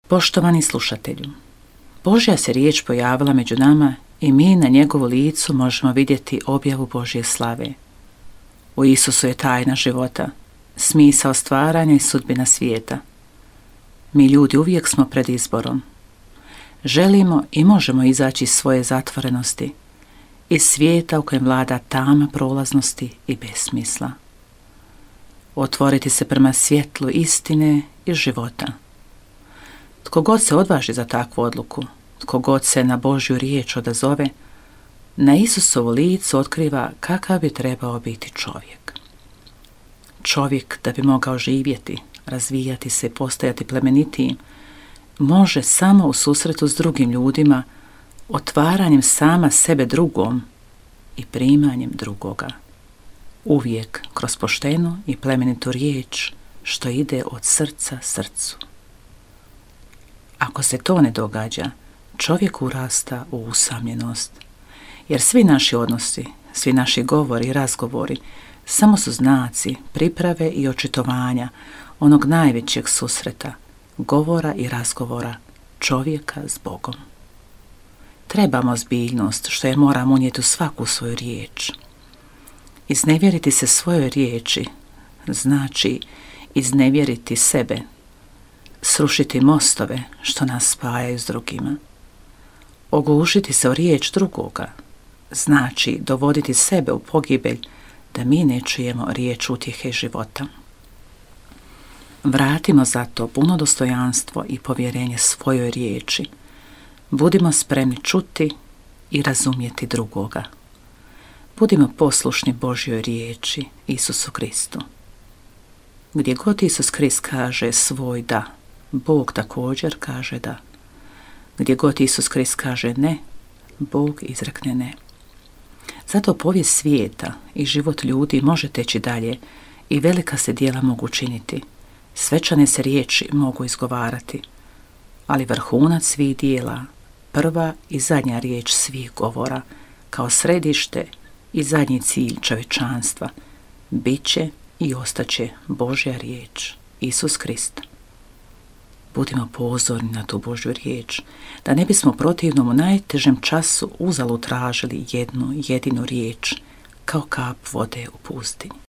Poštovani slušatelju, Božja se riječ pojavila među nama i mi na njegovu licu možemo vidjeti objavu Božje slave. U Isusu je tajna života, smisao stvaranja i sudbina svijeta. Mi ljudi uvijek smo pred izborom. Želimo i možemo izaći iz svoje zatvorenosti, iz svijeta u kojem vlada tama prolaznosti i besmisla. Otvoriti se prema svjetlu istine i života. Tko god se odvaži za takvu odluku, tko god se na Božju riječ odazove, na Isusovu licu otkriva kakav bi trebao biti čovjek. Čovjek, da bi mogao živjeti, razvijati se i postajati plemenitijim, može samo u susretu s drugim ljudima, otvaranjem sama sebe drugom i primanjem drugoga. Uvijek kroz poštenu i plemenitu riječ što ide od srca srcu. Ako se to ne događa, čovjek urasta u usamljenost, jer svi naši odnosi, svi naši govori i razgovori samo su znaci priprave i očitovanja onog najvećeg susreta, govora i razgovora čovjeka s Bogom. Trebamo ozbiljnost što je moramo unijeti u svaku svoju riječ. Iznevjeriti se svojoj riječi znači iznevjeriti sebe, srušiti mostove što nas spajaju s drugima. Oglušiti se o riječ drugoga znači dovoditi sebe u pogibelj da mi ne čujemo riječ utjehe života. Vratimo zato puno dostojanstvo i povjerenje svojoj riječi. Budimo spremni čuti i razumjeti drugoga. Budimo poslušni Božjoj riječi, Isusu Kristu. Gdje god Isus Krist kaže svoj da, Bog također kaže da. Gdje god Isus Krist kaže ne, Bog izrekne ne. Zato povijest svijeta i život ljudi može teći dalje i velika se djela mogu činiti. Svečane se riječi mogu izgovarati, ali vrhunac svih djela, prva i zadnja riječ svih govora, kao središte i zadnji cilj čovječanstva, bit će i ostaće Božja riječ, Isus Krist. Budimo pozorni na tu Božju riječ, da ne bismo protivnom u najtežem času uzalud tražili jednu jedinu riječ, kao kap vode u pustinji.